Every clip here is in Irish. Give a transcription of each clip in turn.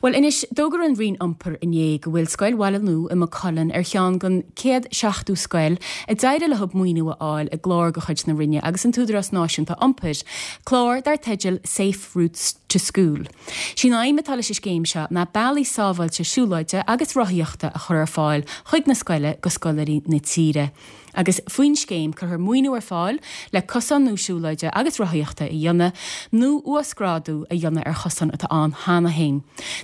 Bhuel anois, d'fhógair an Roinn Iompair inné go bhfuil Scoil Bhaile Nua i Maigh Cuilinn ar cheann den 170 scoil a d'éirigh leo maoiniú a fháil i gclár de chuid na Roinne agus an tÚdarás Náisiúnta Iompair, clár dar teideal Safe Routes to School. Sí an aidhm atá leis an scéim seo ná bealaí sábháilte siúlóide agus rothaíochta a chur ar fáil chuig na scoile go scoláirí na tíre. Agus faoin scéim cuirfear maoiniú ar fáil le cosáin nua siúlóide agus rothaíochta a dhéanamh nó uasghrádú a dhéanamh ar chosáin atá ann cheana féin.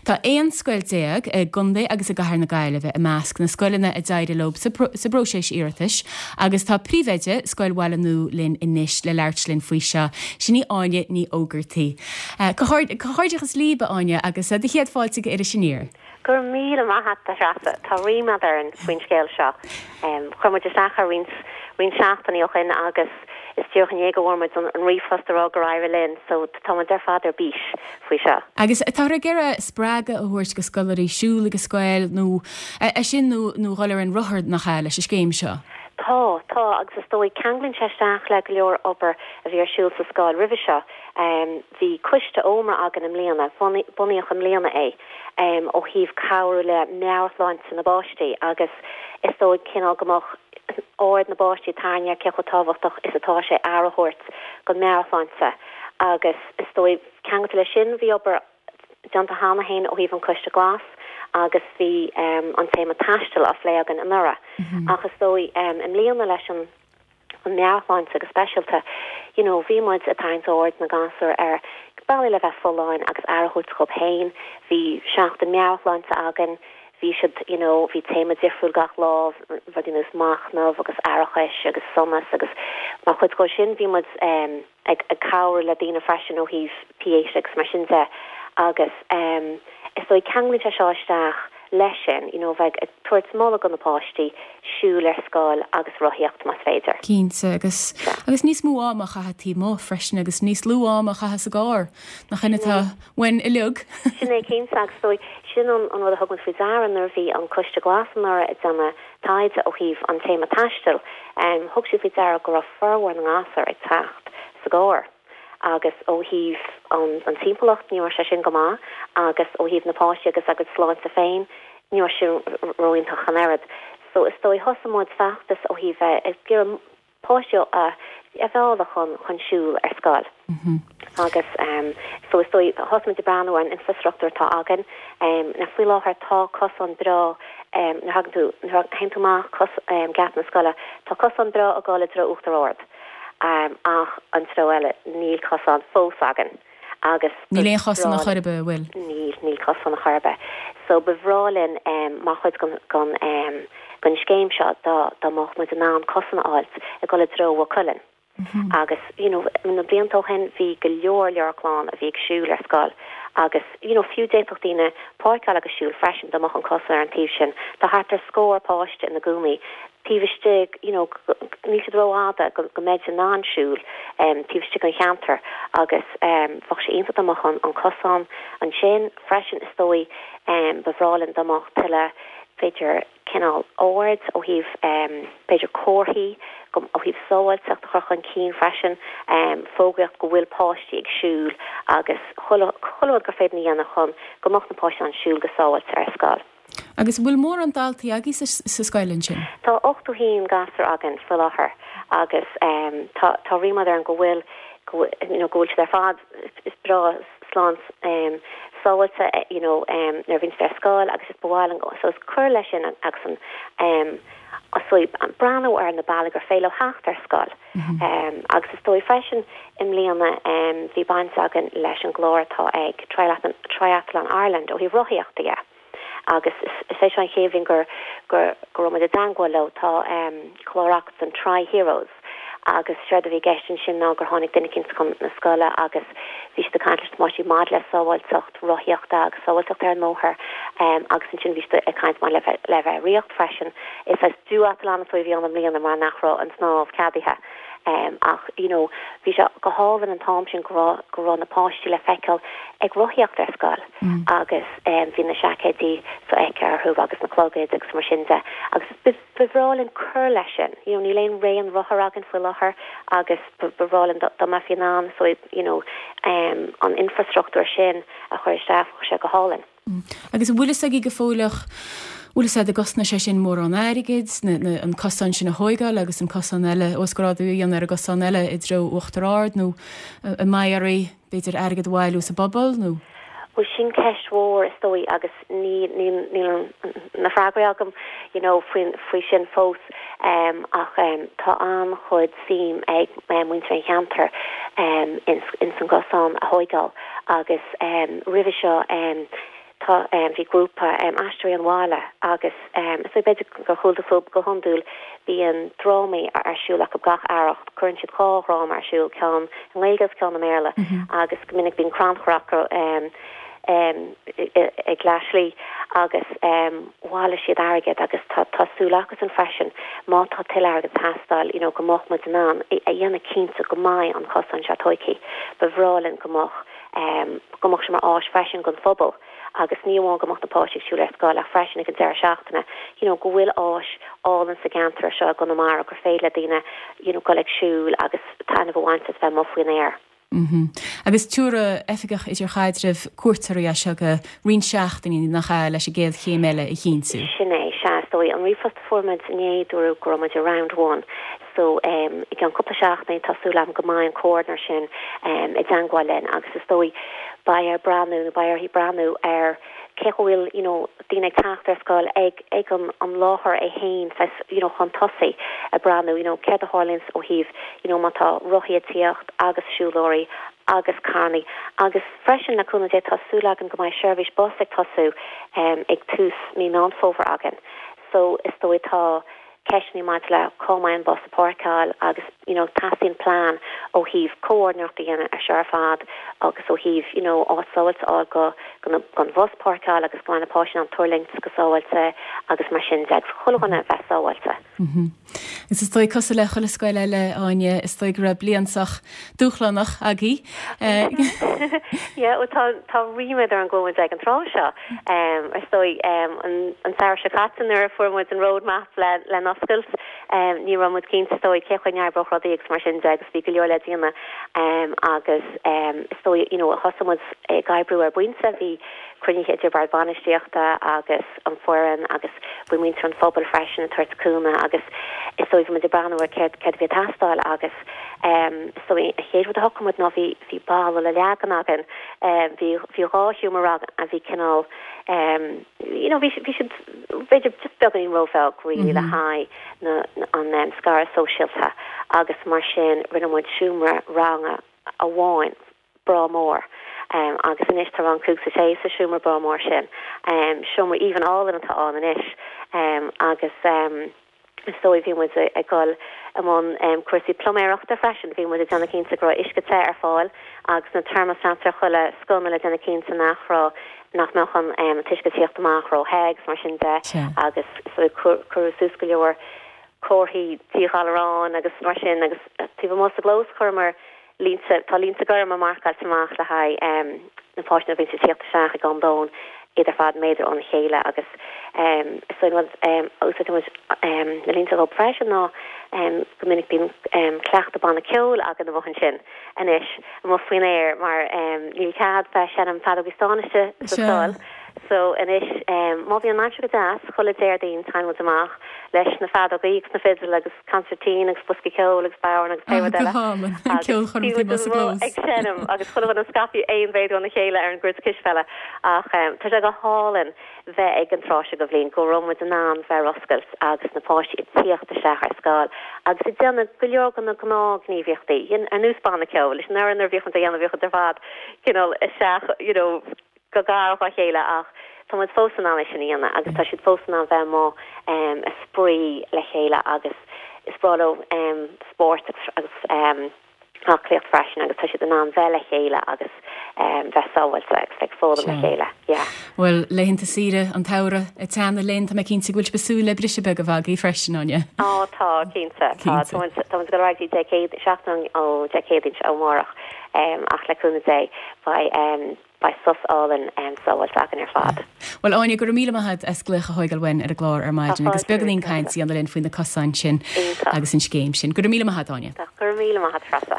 Tá 11 scoil i gContae agus i gCathair na Gaillimhe i measc na scoileanna a d'éirigh leo sa bpróiseas iarratais agus tá príomhoide Scoil Bhaile Nua linn anois le labhairt linn faoi seo, sin í Áine Ní Ógartaigh. Comhghairdeachas libh, a Áine, agus do chéad fáilte go Iris Aniar. Go raibh míle maith a't, a Threasa. Tá ríméad orainn faoin scéal seo. Chuir muid isteach air roinnt, roinnt seachtainí ó shin agus is díreach inné go bhfuair muid an ríomhphost a rá gur éirigh linn, so tá muid ar fad ar bís faoi seo. Agus táthar ag iarraidh spreagadh a thabhairt go scoláirí siúl ag an scoil nó é sin nó nó dhul ar an rothar, nach ea, leis an scéim seo? Tá, tá, agus is dóigh ceanglaíonn sé isteach le go leor obair a bhí ar siúl sa scoil roimhe seo. Bhí coiste ómra againn i mbliana, bunaíodh i mbliana é, ó thaobh cabhrú le meabhairshláinte na bpáistí agus is dóigh cineál go mbeadh aird na bpáistí tarraingthe ar cé chomh tábhachtach is atá sé aire a thabhairt don meabhairshláinte agus is dóigh ceangailte leis sin bhí obair déanta cheana féin ó thaobh an Coiste Glas agus bhí an téama taistil á phlé againn anuraidh ach is dóigh i mbliana leis an an meabhairshláinte go speisialta. You know, bhí muid ag tarraingt aird na ngasúr ar bealaí le bheith folláin agus aire a thabhairt dhóibh féin. Bhí seachtain meabhairshláinte againn, bhí siad, you know, bhí téama difriúil gach lá, rudaí ar nós machnamh agus aireachais agus sonas agus mar chuid dhó sin bhí muid eh ag ag cabhrú le daoine freisin ó thaobh pH agus mar sin de agus eh is dóigh ceanglaíonn sé seo isteach leis sin, you know, bheith ag tabhairt moladh do na páistí siúl ar scoil agus rothaíocht más féidir. Cinnte, agus, agus níos mó ama a chaitheamh taobh amuigh freisin agus níos lú ama a chaitheamh sa gcarr, nach in atá uainn uilig. Sin é cinnte agus is dóigh, sin an rud a thug muid faoi deara nuair a bhí an Coiste Glas anuraidh ag déanamh taighde ó thaobh an téama taistil, thug siad faoi deara go raibh formhór na ngasúr ag teacht sa gcarr. agus ó thaobh an timpeallacht ní raibh sé sin go maith agus ó thaobh na páistí agus a gcuid sláinte féin ní raibh sin ró-iontach an oiread. So is dóigh thosaigh muid feachtas ó thaobh bheith ag iarraidh páistí a mhealladh chun chun siúl ar scoil. Agus so is dóigh thosaigh muid ag breathnú ar an infrastruchtúr atá againn. Now faoi láthair tá cosán breá nuair a thagann tú nuair a théann tú amach cos geata na scoile tá cosán breá ag dul i dtreo Uachtar Ard. Ach an treo eile, níl cosán fós againn agus ba Níl aon chosán ar chor ar bith, an bhfuil? Níl, níl cosán ar chor ar bith. So ba bhreá linn mar chuid den den scéim seo dá dá mbeadh muid in ann cosán a fháilt ag dul i dtreo Mhaigh Cuilinn. Agus you know na blianta ó shin bhí go leor leor clann a bhí ag siúl ar scoil agus you know fiú d'fhéadfadh daoine páirceáil agus siúl freisin dá mbeadh an cosán ar an taobh sin. Tá thart ar scór páiste ina gcónaí taobh istigh, you know, níl siad rófhada go go mbeidís in ann siúl taobh istigh den cheantar agus bheadh sé iontach dá mbeadh an an cosán ansin freisin is dóigh ba bhreá linn dá mbeadh tuilleadh b'fhéidir cineál aird ó thaobh b'fhéidir comharthaí go ó thaobh sábháilteacht a chur chun cinn freisin fógraíocht go bhfuil páistí ag siúl agus chuile chuile rud gur féidir a dhéanamh chun go mbeadh na páistí in ann siúl go sábháilte ar scoil. Agus an bhfuil mórán daltaí agaibh sa scoil ansin? Tá 81 gasúr againn faoi láthair agus tá tá ríméad orainn go bhfuil go you know go bhfuil siad ar fad is breá slán sábháilte you know nuair a bhíonn siad ar scoil agus is ba mhaith linn so is cur leis sin agus an so breathnú ar na bealaí gur féidir leo theacht ar scoil. Agus is dóigh freisin i mbliana bhí baint againn leis an gclár atá ag Triathlon Ireland ó thaobh rothaíochta dhe. Agus is é seo an chéad bhliain gur gur go raibh muid i dteangmháil leo. Tá clár acu don Tri Heroes agus séard a bhí i gceist ansin ná gur tháinig duine eicínt chun na scoile agus bhí siad ag caint leis na páistí maidir le sábháilteacht rothaíochta agus sábháilteacht ar an mbóthar agus ansin bhí siad ag caint maidir le bheith le bheith ag rith freisin. Is saghas duathlon a bhí ann i mbliana mar nach raibh an snámh ceadaithe ach you know bhí sé go hálainn an t-am sin go raibh go raibh na páistí le feiceáil ag rothaíocht ar scoil agus bhí na seaicéidí sofheicthe orthu agus na clogaid agus mar sin de agus ba bhreá linn cur leis sin you know níl aon raon rothar againn faoi láthair agus ba bhreá linn dá mbeifí in ann so you know an infrastruchtúr sin a chur isteach bheadh sé go hálainn. Agus an bhfuil fhios agaibh go fóilleach, bhfuil fhios a'd an gcosnóidh sé sin mórán airgid, na, na, an cosán sin a thóigeáil agus an cosán eile, uasghrádú a dhéanamh ar an gcosán eile i dtreo Uachtar Ard nó an mbeidh oraibh, b'fhéidir, airgead a bhailiú sa bpobal nó? Bhuel sin ceist mhór is dóigh agus ní, níl, níl na freagraí agam you know faoin, faoi sin fós ach tá an-chuid suim ag muintir an cheantair ins, ins an gcosán a thóigeáil agus roimhe seo tá, bhí grúpa Aisteoirí an Bhaile agus is dóigh b'fhéidir gur chuala tú fúthu, go hiondúil bíonn drámaí ar siúl acu gach earrach, cuireann siad 2 dhráma ar siúl, ceann i nGaeilge agus ceann i mBéarla agus go minic bíonn crannchur acu ag leath slí agus bhailigh siad airgead agus tá tá súil acusan freisin má tá tuilleadh airgid ag teastáil you know go mbeadh muid in ann a dhéanamh cinnte go mbeidh an cosán seo tóigthe. Ba bhreá linn go mbeadh go mbeadh sé mar áis freisin don phobal agus ní amháin go mbeadh na páistí ag siúl ar scoil ach freisin ag an deireadh seachtaine you know go bhfuil áis álainn sa gceantar seo i gConamara gur féidir le daoine you know dul ag siúl agus taitneamh a bhaint as bheith amuigh faoin aer. Mm. Agus tabharfaidh Oifigeach Idirchaidrimh cuairt oraibh as seo go roinnt seachtainí, nach ea, leis an gcéad chéim eile a chinntiú? Sin é, sea, is dóigh. An ríomhphost a fuair muid inné, dúradh go raibh muid i round one. So, i gceann cúpla seachtainí, tá súil agam go mbeidh an comhordaitheoir sin i dteangmháil linn agus is dóigh beidh air breathnú nó beidh uirthi breathnú ar cé go bhfuil you know daoine ag teacht ar scoil ag ag an an láthair é féin saghas you know chun tosaigh ag breathnú you know céard a tharlaíonns ó thaobh you know má tá rothaí ag tíocht agus siúlóirí agus carrannaí agus freisin le cúnamh Dé tá súil againn go mbeidh seirbhís bus ag tosú ag tús mí Meán Fómhair againn so is dóigh tá ceisteanna maidir le cá mbeidh an bus ag páirceáil agus you know teastaíonn plean ó thaobh comhordaitheoireacht a dhéanamh ar seo ar fad agus ó thaobh you know áit sábháilte a fháil go go don bhus páirceáil agus go mbeidh na páistí in ann tuirlingt go sábháilte agus mar sin de agus chuile dhuine a bheith sábháilte. Agus is dóigh cosúil le chuile scoil eile, Áine, is dóigh go raibh bliain sách dúshlánach agaibh. Yeah, bhuel tá tá ríméad orm go bhfuil muid ag an tráth seo. Is dóigh, an samhradh seo caite nuair a fuair muid an road map le le n-oscailt, ní raibh muid cinnte is dóigh cé chaoi a n-oibreodh rudaí agus mar sin de agus bhí go leor le déanamh agus is dóigh you know thosaigh muid ag oibriú ar bpointe, bhí cruinnithe idir bord bainistíochta agus an foireann agus bhí muintir an phobail freisin ag tabhairt cúnamh agus is dóigh bhí muid ag breathnú ar céard céard a bhí ag teastáil agus is dóigh an chéad rud a shocraigh muid ná bhí bhí balla le leagan againn Bhí bhí 2 sheomra ranga a bhí cineál you know bhí bhí siad b'fhéidir just beagáinín róbheag really le haghaidh na an scaradh sóisialta agus mar sin rinne muid seomra ranga amháin breá mór agus anois tá rang 5 is 6 sa seomra breá mór sin. Seomra aoibhinn álainn atá ann anois agus. Is dóigh, bhí muid ag dul i mbun cúrsaí pluiméireachta freisin. Bhí muid ag déanamh cinnte go raibh uisce te ar fáil agus na thermostats ar chuile sconna le déanamh cinnte nach raibh, nach mbeadh an t-uisce ag tíocht amach ró-the agus mar sin de agus is dóigh cuireadh suas go leor comharthaí díghalaráin agus mar sin agus taobh amuigh sa gclós chuireamar línte, tá línte gorma marcáilte amach le haghaidh na páistí nuair a bhíonn siad ag tíocht isteach ag am lóin, iad ar fad méadar óna chéile agus is dóigh an rud a úsáideann muid na línte dhóibh freisin ná go minic bíonn cleachtadh banna ceoil againn amuigh ansin anois, amuigh faoin aer mar níl cead bheith ag seinm feadógaí stáin istigh sa scoil so anois má bhíonn an aimsir go deas chuile Déardaoin téann muid amach leis na feadógaí agus na fidil agus consairtín agus boscaí ceoil agus bodhrán agus pé rud eile. Agus bhí muid amuigh ag seinm agus chuile dhuine scaipthe aon mhéadar óna chéile ar an gcúirt cispheile. Ach tá sé go hálainn bheith ag an tráth seo de bhliain, go raibh muid in ann bheith ar oscailt agus na páistí ag tíocht isteach ar scoil agus ag déanamh go leor de na gnáthghníomhaíochtaí, ar nós banna ceoil, leis an oiread nuair a bhíodh muid á dhéanamh bhíodh muid ar fad cineál isteach you know go gar dá chéile ach tá muid fós in ann é sin a dhéanamh agus tá siad fós in ann bheith amuigh ag spraoi le chéile agus is breá leo spórt agus aclaíocht freisin agus tá siad in ann bheith le chéile agus bheith sábháilte agus bheith ag foghlaim le chéile. Yeah. Bhuel, laethanta saoire an tsamhraidh ag teannadh linn, tá mé cinnte go bhfuil sibh ag súil le briseadh beag a bheith agaibh freisin, Áine. Á, tá, cinnte. Tá, tá muid ag dul ar aghaidh go dtí Dé Céadaoin, seachtain ó Dé Céadaoin ó amárach ach le cúnamh Dé beidh Beidh sos álainn sábháilte againn ar fad. Bhuel, Áine, go raibh míle maith agat as glaoch a thóigeáil uainn ar an gclár ar maidin agus beagáinín caint a dhéanamh linn faoi na cosáin sin agus an scéim sin. Go raibh míle maith agat, Áine. Go raibh míle maith agat, Treasa.